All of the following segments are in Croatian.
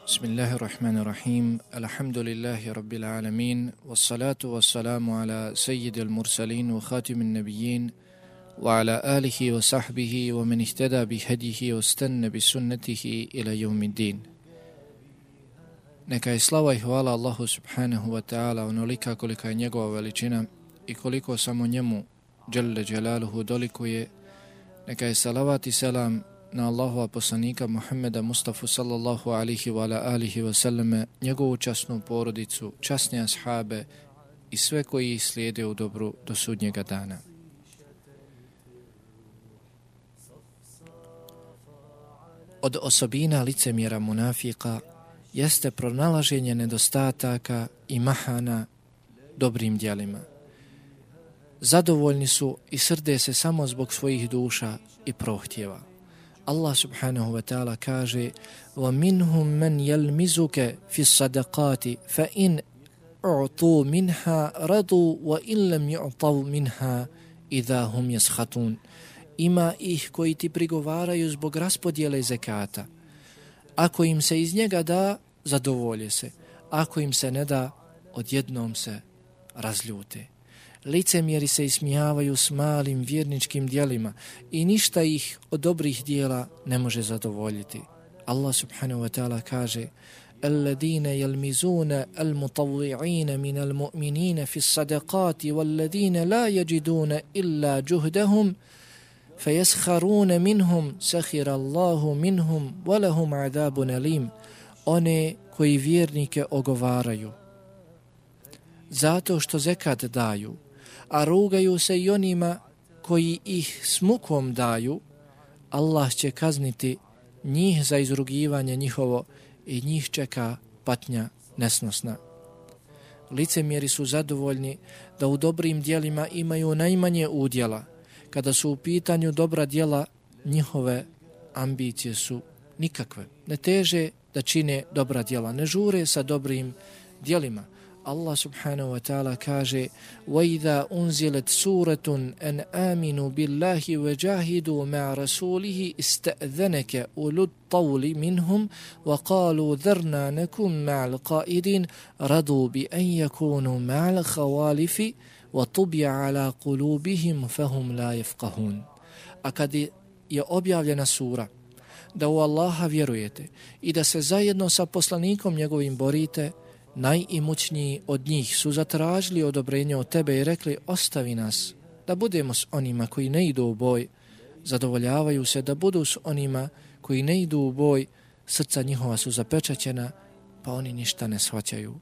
Bismillahirrahmanirrahim. Alhamdulillahi rabbil alamin. Wassalatu wassalamu ala sayyidil mursalin wa khatimin nabiyyin wa ala alihi wa sahbihi wa man ihtada bihadihi wa stanna bi sunnatihi ila yawmiddin. Neka je slava i hvala Allahu subhanahu wa ta'ala onolika kolika je njegova veličina i koliko samo njemu dželle dželaluhu dolikuje. Neka je salavat i selam na Allahova poslanika Muhammeda Mustafa sallallahu alihi wa ala alihi wa sallame, njegovu časnu porodicu, časne ashabe i sve koji ih slijede u dobru do sudnjega dana. Od osobina licemjera munafika jeste pronalaženje nedostataka i mahana dobrim djelima. Zadovoljni su i srde se samo zbog svojih duša i prohtjeva. Allah subhanahu wa ta'ala kaže وَمِنْهُمْ مَنْ يَلْمِزُكَ فِي الصَّدَقَاتِ فَإِنْ أُعْطُوا مِنْهَا رَضُوا وَإِنْ لَمْ يُعْطَوْا مِنْهَا إِذَا هُمْ يَسْخَطُونَ. Ima ih koji ti prigovaraju zbog raspodjele zekata. Ako im se iz njega da, zadovolje se. Ako im se ne da, odjednom se razljute. Licemjeri se ismijavaju s malim vjerničkim djelima i ništa ih od dobrih djela ne može zadovoljiti. Allah subhanahu wa ta'ala kaže الَّذِينَ يَلْمِزُونَ الْمُطَوِّعِينَ مِنَ الْمُؤْمِنِينَ فِي الصَّدَقَاتِ وَالَّذِينَ لَا يَجِدُونَ إِلَّا جُهْدَهُمْ فَيَسْخَرُونَ مِنْهُمْ سَخِرَ اللَّهُ مِنْهُمْ وَلَهُمْ عَذَابٌ أَلِيمٌ. One koji vjernike ogovaraju zato što zekat daju, a rugaju se i onima koji ih s mukom daju, Allah će kazniti njih za izrugivanje njihovo i njih čeka patnja nesnosna. Licemjeri su zadovoljni da u dobrim djelima imaju najmanje udjela. Kada su u pitanju dobra djela, njihove ambicije su nikakve. Ne teže da čine dobra djela, ne žure sa dobrim djelima. Allah subhanahu wa ta'ala kaže وَإِذَا أُنْزِلَتْ سُورَةٌ أَنْ آمِنُوا بِاللَّهِ وَجَاهِدُوا مَعَ رَسُولِهِ اسْتَأْذَنَكَ أُولُو الطَّوْلِ مِنْهُمْ وَقَالُوا ذَرْنَا نَكُنْ مَعَ الْقَائِدِينَ رَضُوا بِأَنْ يَكُونُوا مَعَ الْخَوَالِفِ وَطُبِعَ عَلَى قُلُوبِهِمْ فَهُمْ لَا يَفْقَهُونَ. A kad je objavljena sura da u Allaha vjerujete i da se zajedno sa poslanikom njegovim borite, najimućniji od njih su zatražili odobrenje od tebe i rekli ostavi nas da budemo s onima koji ne idu u boj. Zadovoljavaju se da budu s onima koji ne idu u boj, srca njihova su zapečaćena pa oni ništa ne shvaćaju.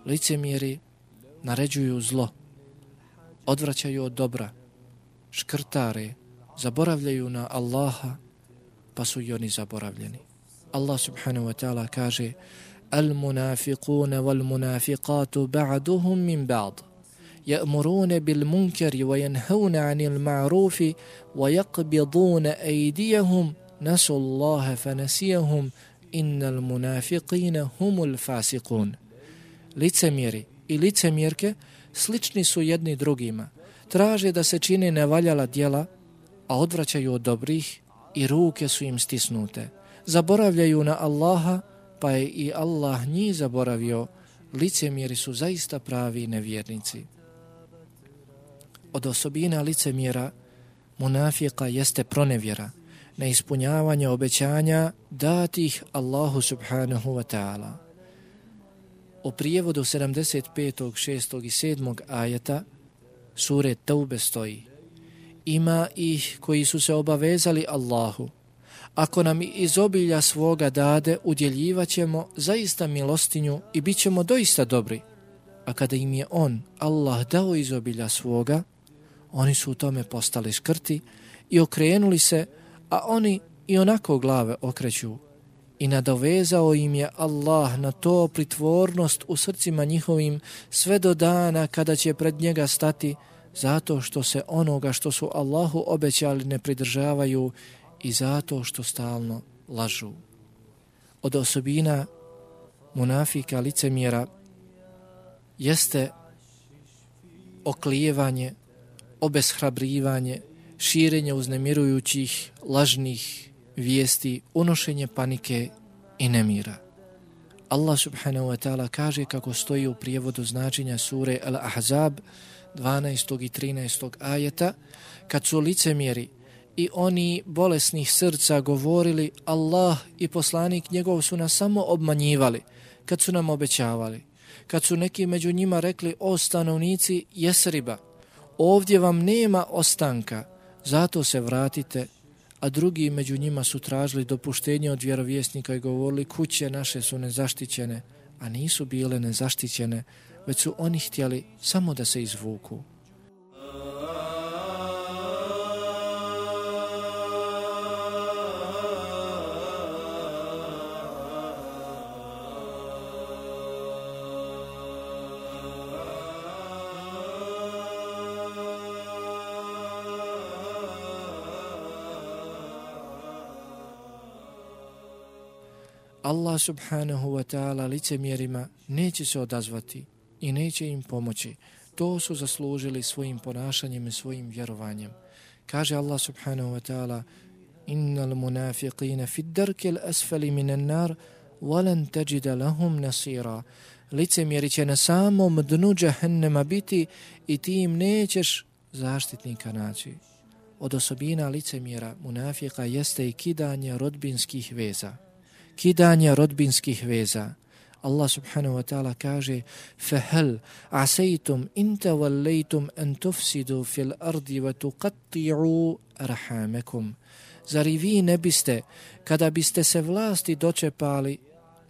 Licemjeri naređuju zlo, odvraćaju od dobra, škrtare, zaboravljaju na Allaha, pa su i oni zaboravljeni. Allah subhanahu wa ta'ala kaže Al-munafiquna wal-munafiqatu ba'duhum min ba'd ya'muruna bil-munkari wa yanhauna 'anil ma'rufi wa yaqbiduna aydiyahum nasu Allaha fanasiyahum innal munafiqina humul fasiqun. Licemjeri i licemjerke slični su jedni drugima. Traže da se čine nevaljala djela, a odvraćaju od dobrih i ruke su im stisnute. Zaboravljaju na Allaha, pa je i Allah njih zaboravio. Licemjeri su zaista pravi nevjernici. Od osobina licemjera munafika jeste pronevjera, neispunjavanje obećanja datih Allahu subhanahu wa ta'ala. U prijevodu 75., 6. i 7. ajeta sure Taube stoji: ima ih koji su se obavezali Allahu, ako nam iz obilja svoga dade, udjeljivat ćemo zaista milostinju i bit ćemo doista dobri. A kada im je on, Allah, dao iz obilja svoga, oni su u tome postali škrti i okrenuli se, a oni i onako glave okreću. I nadovezao im je Allah na to pritvornost u srcima njihovim sve do dana kada će pred njega stati, zato što se onoga što su Allahu obećali ne pridržavaju i zato što stalno lažu. Od osobina munafika, licemjera, jeste oklijevanje, obeshrabrivanje, širenje uznemirujućih, lažnih vijesti, unošenje panike i nemira. Allah subhanahu wa ta'ala kaže, kako stoji u prijevodu značenja sure Al-Ahzab 12. i 13. ajeta, kad su licemjeri i oni bolesnih srca govorili, Allah i poslanik njegov su nas samo obmanjivali, kad su nam obećavali, kad su neki među njima rekli, o stanovnici Jesriba, ovdje vam nema ostanka, zato se vratite, a drugi među njima su tražili dopuštenje od vjerovjesnika i govorili, kuće naše su nezaštićene, a nisu bile nezaštićene, već su oni htjeli samo da se izvuku. Allah subhanahu wa ta'ala licemjerima neće se odazvati i neće im pomoći. To su zaslužili svojim ponašanjem i svojim vjerovanjem. Kaže Allah subhanahu wa ta'ala, innal munafiqina fi darkil asfali minan nar walan tajida lahum nasira. Licemjeri će na samom dnu džahennema biti i ti im nećeš zaštitnika naći. Od osobina licemjera munafika jeste i kidanje rodbinskih veza. Kidanje rodbinskih veza. Allah subhanahu wa ta'ala kaže, فَهَلْ عَسَيْتُمْ إِنْ تَوَلَّيْتُمْ أَنْ تُفْسِدُوا فِي الْأَرْضِ وَتُقَطِّعُوا أَرْحَامَكُمْ. Zar i vi ne biste, kada biste se vlasti dočepali,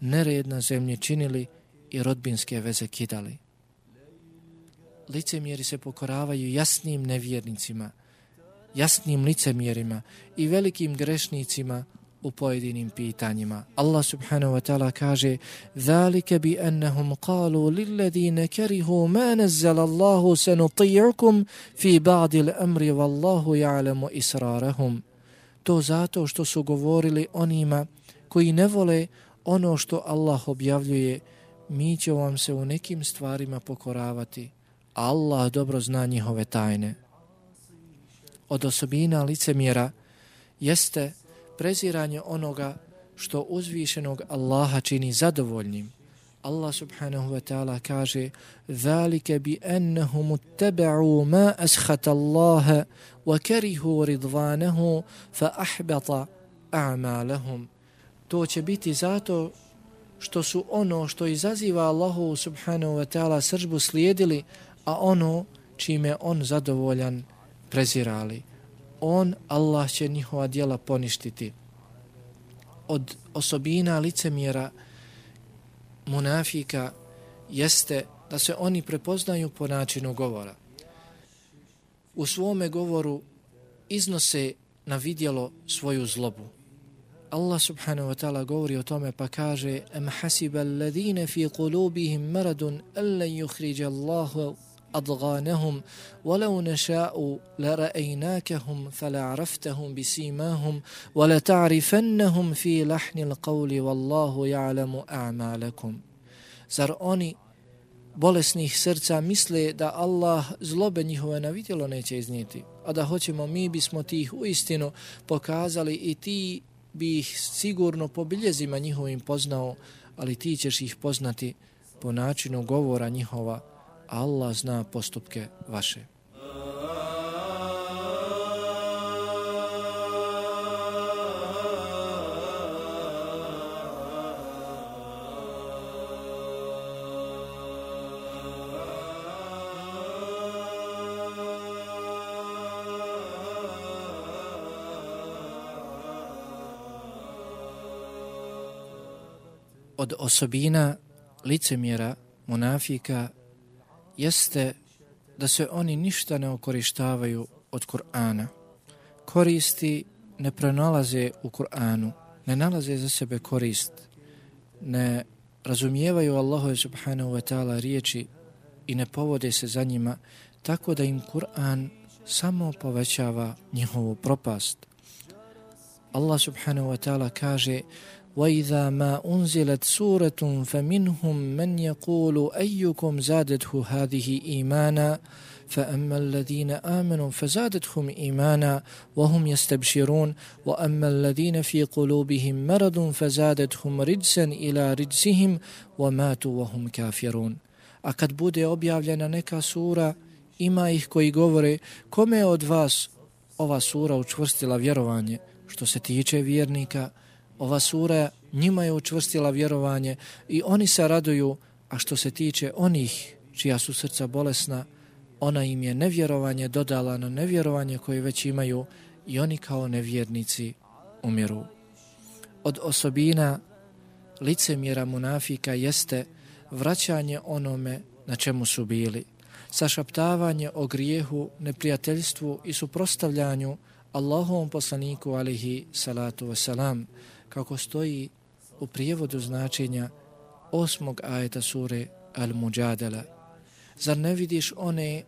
nered na zemlji činili i rodbinske veze kidali? Licemjeri se pokoravaju jasnim nevjernicima, jasnim licemjerima i velikim grešnicima u pojedinim pitanjima. Allah subhanahu wa ta'ala kaže, ذَلِكَ بِأَنَّهُمْ قَالُوا لِلَّذِينَ كَرِهُوا مَا نَزَّلَ اللَّهُ سَنُطِيعُكُمْ فِي بَعْدِ الْأَمْرِ وَاللَّهُ يَعْلَمُ إِسْرَارَهُمْ. To zato što su govorili onima koji ne vole ono što Allah objavljuje, mi ćemo vam se u nekim stvarima pokoravati, a Allah dobro zna njihove tajne. Od osobina licemjera jeste preziranje onoga što uzvišenog Allaha čini zadovoljnim. Allah subhanahu wa ta'ala kaže, ذَلِكَ بِأَنَّهُمُ اتَّبَعُوا مَا أَسْخَتَ اللَّهَ وَكَرِهُوا رِضْوَانَهُ فَأَحْبَطَ أَعْمَالَهُمْ. To će biti zato što su ono što izaziva Allahu subhanahu wa ta'ala srdžbu slijedili, a ono čime on zadovoljan prezirali. Allah će njihova djela poništiti. Od osobina licemjera munafika jeste da se oni prepoznaju po načinu govora. U svome govoru iznose na vidjelo svoju zlobu. Allah subhanahu wa ta'ala govori o tome pa kaže, am hasiba alladhina fi qulubihim maradun allan yukhrija Allahu أضغانهم ولو نشاء لرأيناكهم فلعرفتهم بسيماهم ولتعرفنهم في لحن القول والله يعلم أعمالكم. Zar oni bolesnih srca misle da Allah zlobe njihove na vidjelo neće iznijeti, a da hoćemo mi bismo ti ih uistinu pokazali i ti bi ih sigurno po biljezima njihovim poznao, ali ti ćeš ih poznati po načinu govora njihova. Allah zna postupke vaše. Od osobina licemjera, munafika, jeste da se oni ništa ne okorištavaju od Kur'ana. Koristi ne pronalaze u Kur'anu, ne nalaze za sebe korist, ne razumijevaju Allahove subhanahu wa ta'ala riječi i ne povode se za njima, tako da im Kur'an samo povećava njihovu propast. Allah subhanahu wa ta'ala kaže: وَإِذَا مَا أُنْزِلَتْ سُورَةٌ فَمِنْهُمْ مَنْ يَقُولُ أَيُّكُمْ زَادَتْهُ هَذِهِ إِيمَانًا فَأَمَّا الَّذِينَ آمَنُوا فَزَادَتْهُمْ إِيمَانًا وَهُمْ يَسْتَبْشِرُونَ وَأَمَّا الَّذِينَ فِي قُلُوبِهِمْ مَرَضٌ فَزَادَتْهُمْ رِجْسًا إِلَى رِجْسِهِمْ وَمَاتُوا وَهُمْ كَافِرُونَ. A kad bude objavljena neka sura, ima ih koji govore: kome je od vas ova sura učvrstila vjerovanje? Što se tiče vjernika, ova sura njima je učvrstila vjerovanje i oni se raduju, a što se tiče onih čija su srca bolesna, ona im je nevjerovanje dodala na nevjerovanje koje već imaju i oni kao nevjernici umiru. Od osobina licemjera munafika jeste vraćanje onome na čemu su bili, sašaptavanje o grijehu, neprijateljstvu i suprotstavljanju Allahovom poslaniku alejhi salatu wasalam, kako stoji u prijevodu značenja 8. ajeta sure Al-Mujadala. Zar ne vidiš one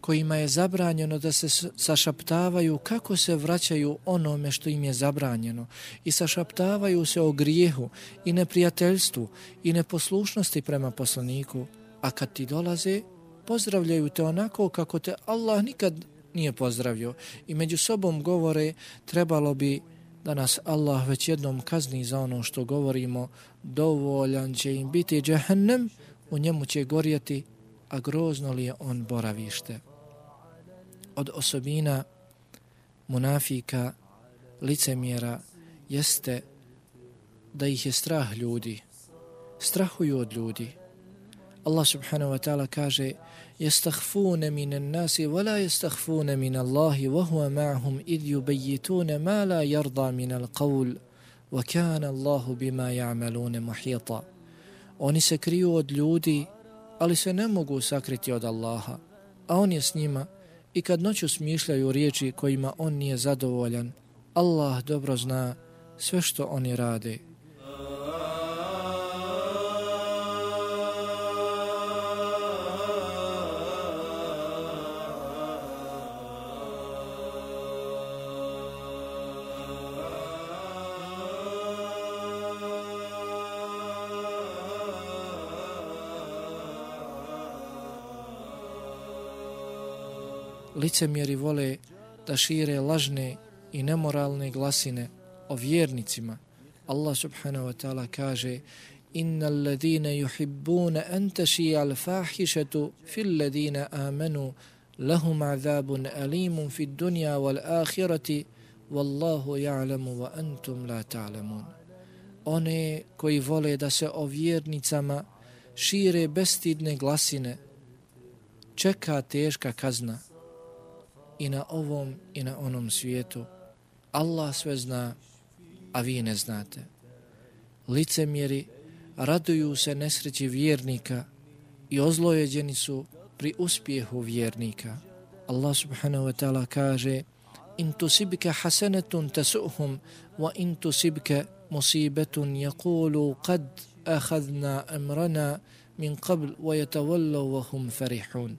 kojima je zabranjeno da se sašaptavaju kako se vraćaju onome što im je zabranjeno i sašaptavaju se o grijehu i neprijateljstvu i neposlušnosti prema poslaniku, a kad ti dolaze, pozdravljaju te onako kako te Allah nikad nije pozdravio i među sobom govore: trebalo bi da nas Allah već jednom kazni za ono što govorimo, dovoljan će im biti džehennem, u njemu će gorjeti, a grozno li je on boravište. Od osobina munafika, licemjera, jeste da ih je strah ljudi. Strahuju od ljudi. Allah subhanahu wa ta'ala kaže: يَسْتَخْفُونَ مِنَ النَّاسِ وَلَا يَسْتَخْفُونَ مِنَ اللَّهِ وَهُوَ مَعَهُمْ إِذْ يُبَيِّتُونَ مَا لَا يَرْضَى مِنَ الْقَوْلِ وَكَانَ اللَّهُ بِمَا يَعْمَلُونَ مُحِيطًا. Oni se kriju od ljudi, ali se ne mogu sakriti od Allaha, a on je s njima i kad noću smišljaju riječi kojima on nije zadovoljan, Allah dobro zna sve što oni rade. Licemjeri vole da šire lažne i nemoralne glasine o vjernicima. Allah subhanahu wa ta'ala kaže: innal ladina yuhibbuna an tashi'a al-fahishatu fil ladina amanu lahum azabun alimun fid dunya wal akhirati wallahu ya'lamu wa antum la ta'lamun. One koji vole da se o vjernicama šire bestidne glasine, čeka teška kazna i na ovom i na onom svijetu. Allah sve zna, a vi ne znate. Licemjeri raduju se nesreći vjernika i ozlojeđeni su pri uspjehu vjernika. Allah subhanahu wa ta'ala kaže: in tusibka hasanatun tasuhum wa in tusibka musibatun yaqulu qad akhadna amrana min qabl wa yatawallaw wa hum farihun.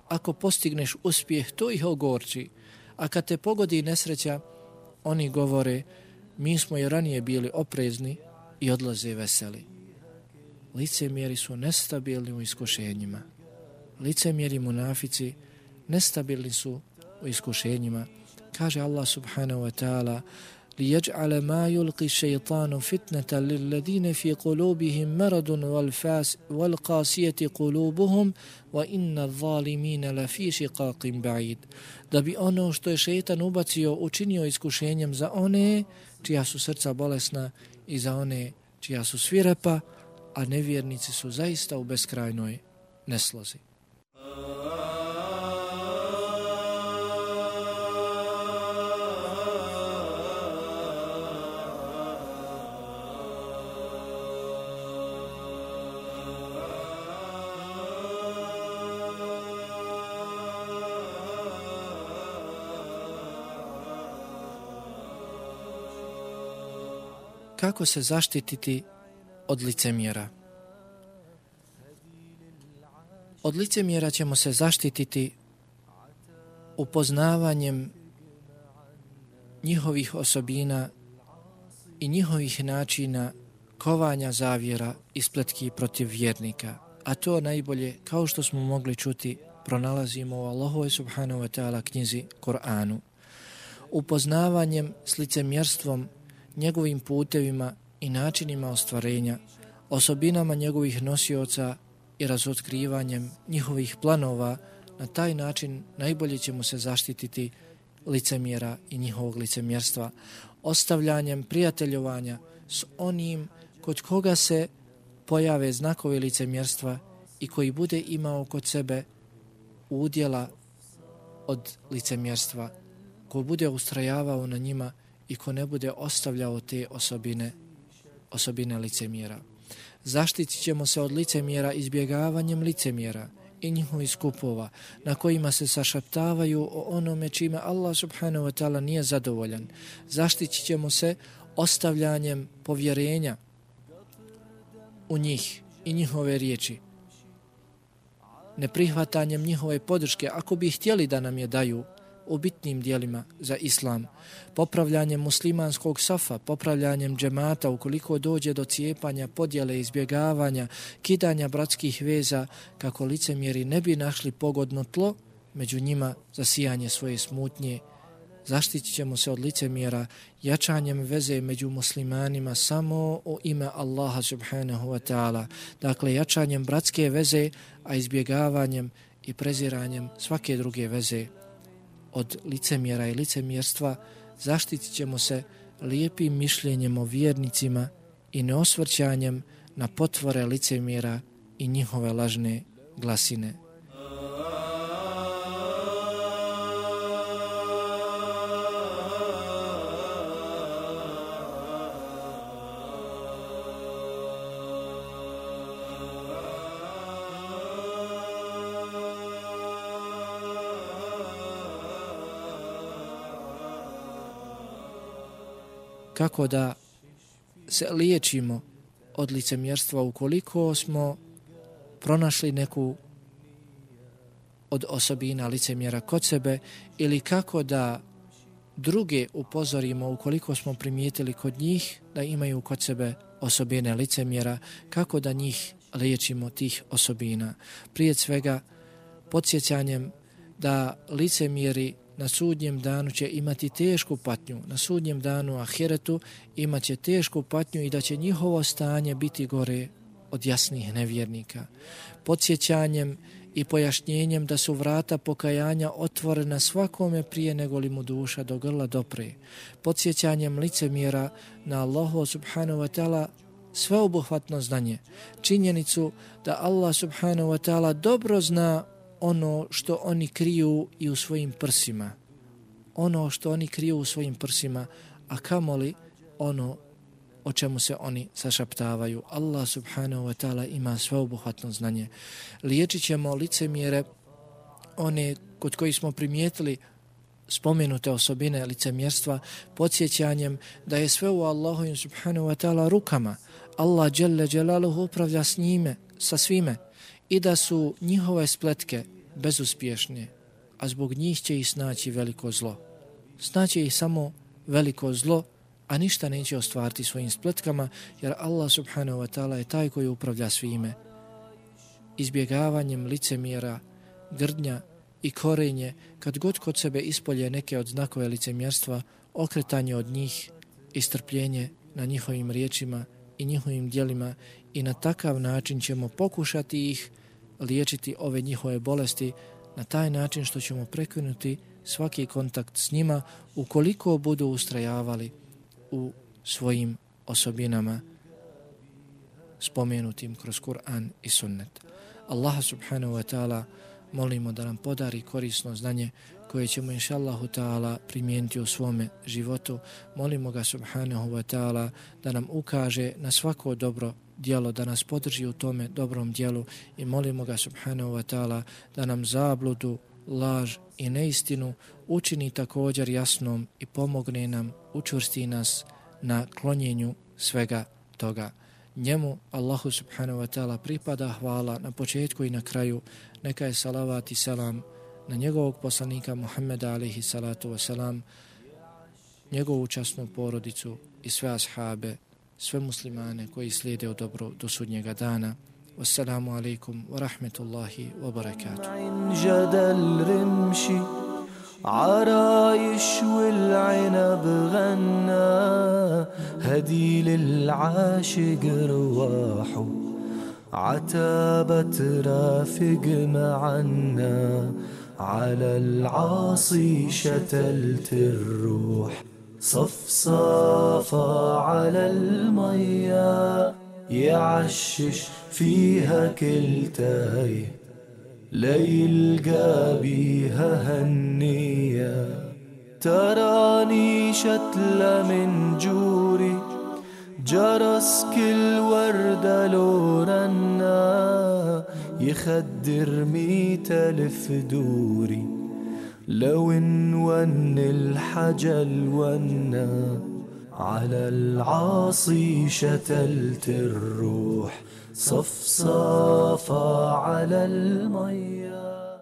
Ako postigneš uspjeh, to ih ogorči, a kad te pogodi nesreća, oni govore: mi smo i ranije bili oprezni, i odlaze veseli. Licemjeri su nestabilni u iskušenjima. Licemjeri munafici nestabilni su u iskušenjima. Kaže Allah subhanahu wa ta'ala: لِيَجْعَلَ مَا يُلْقِ الشَّيْطَانُ فِتْنَةً لِلَّذِينَ فِي قُلُوبِهِمْ مَرَضٌ وَالْقَاسِيَةِ قُلُوبُهُمْ وَإِنَّ الظَّالِمِينَ لَفِي شِقَاقٍ بَعِيدٍ. Da bi ono što je šejtan ubacio učinio iskušenjem za one čija su srca bolesna i za one čija su svirepa, a nevjernici su zaista u beskrajnoj neslozi. kako se zaštititi od licemjera. Od licemjera ćemo se zaštititi upoznavanjem njihovih osobina i njihovih načina kovanja zavjera i spletki protiv vjernika. A to najbolje, kao što smo mogli čuti, pronalazimo u Allahovoj subhanahu wa ta'ala knjizi Kur'anu. Upoznavanjem s licemjerstvom, njegovim putevima i načinima ostvarenja, osobinama njegovih nosioca i razotkrivanjem njihovih planova, na taj način najbolje ćemo se zaštititi licemjera i njihovog licemjerstva, ostavljanjem prijateljovanja s onim kod koga se pojave znakovi licemjerstva i koji bude imao kod sebe udjela od licemjerstva, ko bude ustrajavao na njima i ko ne bude ostavljao te osobine licemjera. Zaštitit ćemo se od licemjera izbjegavanjem licemjera i njihovih skupova na kojima se sašaptavaju o onome čime Allah subhanahu wa ta'ala nije zadovoljan. Zaštitit ćemo se ostavljanjem povjerenja u njih i njihove riječi, neprihvatanjem njihove podrške ako bi htjeli da nam je daju u bitnim dijelima za islam, popravljanjem muslimanskog safa, popravljanjem džemata ukoliko dođe do cijepanja, podjele, izbjegavanja, kidanja bratskih veza, kako licemjeri ne bi našli pogodno tlo među njima za sijanje svoje smutnje. Zaštitit ćemo se od licemjera jačanjem veze među muslimanima samo u ime Allaha subhanahu wa ta'ala, dakle jačanjem bratske veze, a izbjegavanjem i preziranjem svake druge veze. Od licemjera i licemjerstva zaštitit ćemo se lijepim mišljenjem o vjernicima i neosvrćanjem na potvore licemjera i njihove lažne glasine. Kako da se liječimo od licemjerstva ukoliko smo pronašli neku od osobina licemjera kod sebe, ili kako da druge upozorimo ukoliko smo primijetili kod njih da imaju kod sebe osobine licemjera, kako da njih liječimo tih osobina. Prije svega podsjećanjem da licemjeri na sudnjem danu će imati tešku patnju, na sudnjem danu ahiretu imat će tešku patnju i da će njihovo stanje biti gore od jasnih nevjernika. Podsjećanjem i pojašnjenjem da su vrata pokajanja otvorena svakome prije nego li mu duša do grla dopre. Podsjećanjem licemjera na Allahu subhanahu wa ta'ala sveobuhvatno znanje, činjenicu da Allah subhanahu wa ta'ala dobro zna ono što oni kriju i u svojim prsima. Ono što oni kriju u svojim prsima, a kamoli ono o čemu se oni sašaptavaju. Allah subhanahu wa ta'ala ima sveobuhvatno znanje. Liječit ćemo licemjere, one kod koji smo primijetili spomenute osobine licemjerstva, podsjećanjem da je sve u Allahovim subhanahu wa ta'ala rukama. Allah dželle dželaluhu upravlja s njime, sa svime, i da su njihove spletke bezuspješne, a zbog njih će ih snaći veliko zlo. Snaće ih samo veliko zlo, a ništa neće ostvariti svojim spletkama, jer Allah subhanahu wa ta'ala je taj koji upravlja svime. Izbjegavanjem licemjera, grdnja i korenje, kad god kod sebe ispolje neke od znakove licemjerstva, okretanje od njih i strpljenje na njihovim riječima i njihovim djelima, i na takav način ćemo pokušati ih liječiti ove njihove bolesti, na taj način što ćemo prekinuti svaki kontakt s njima ukoliko budu ustrajavali u svojim osobinama spomenutim kroz Kur'an i sunnet. Allaha subhanahu wa ta'ala molimo da nam podari korisno znanje koje ćemo inšallahu ta'ala primijeniti u svome životu. Molimo ga subhanahu wa ta'ala da nam ukaže na svako dobro djelo, da nas podrži u tome dobrom djelu, i molimo ga subhanahu wa ta'ala da nam zabludu, laž i neistinu učini također jasnom i pomogne nam, učvrsti nas na klonjenju svega toga. Njemu, Allahu subhanahu wa ta'ala, pripada hvala na početku i na kraju. Neka je salavat i selam na njegovog poslanika Muhammeda alaihi salatu wasalam, njegovu časnu porodicu i sve ashabe, sve muslimane koji slijede u dobro do sudnjega dana. Wassalamu alaikum wa rahmetullahi wa barakatuh. عرايش والعنب غنى هدي للعاشق رواحه عتابة رافق معنا على العاصي شتلت الروح صفصافة على المية يعشش فيها كل تايه ليلقى بيها هنية تراني شتلة من جوري جرس كل وردة لو رنا يخدر 100,000 دوري لو ون الحجل ونا على العاصي شتلت الروح صفصافة على المياه.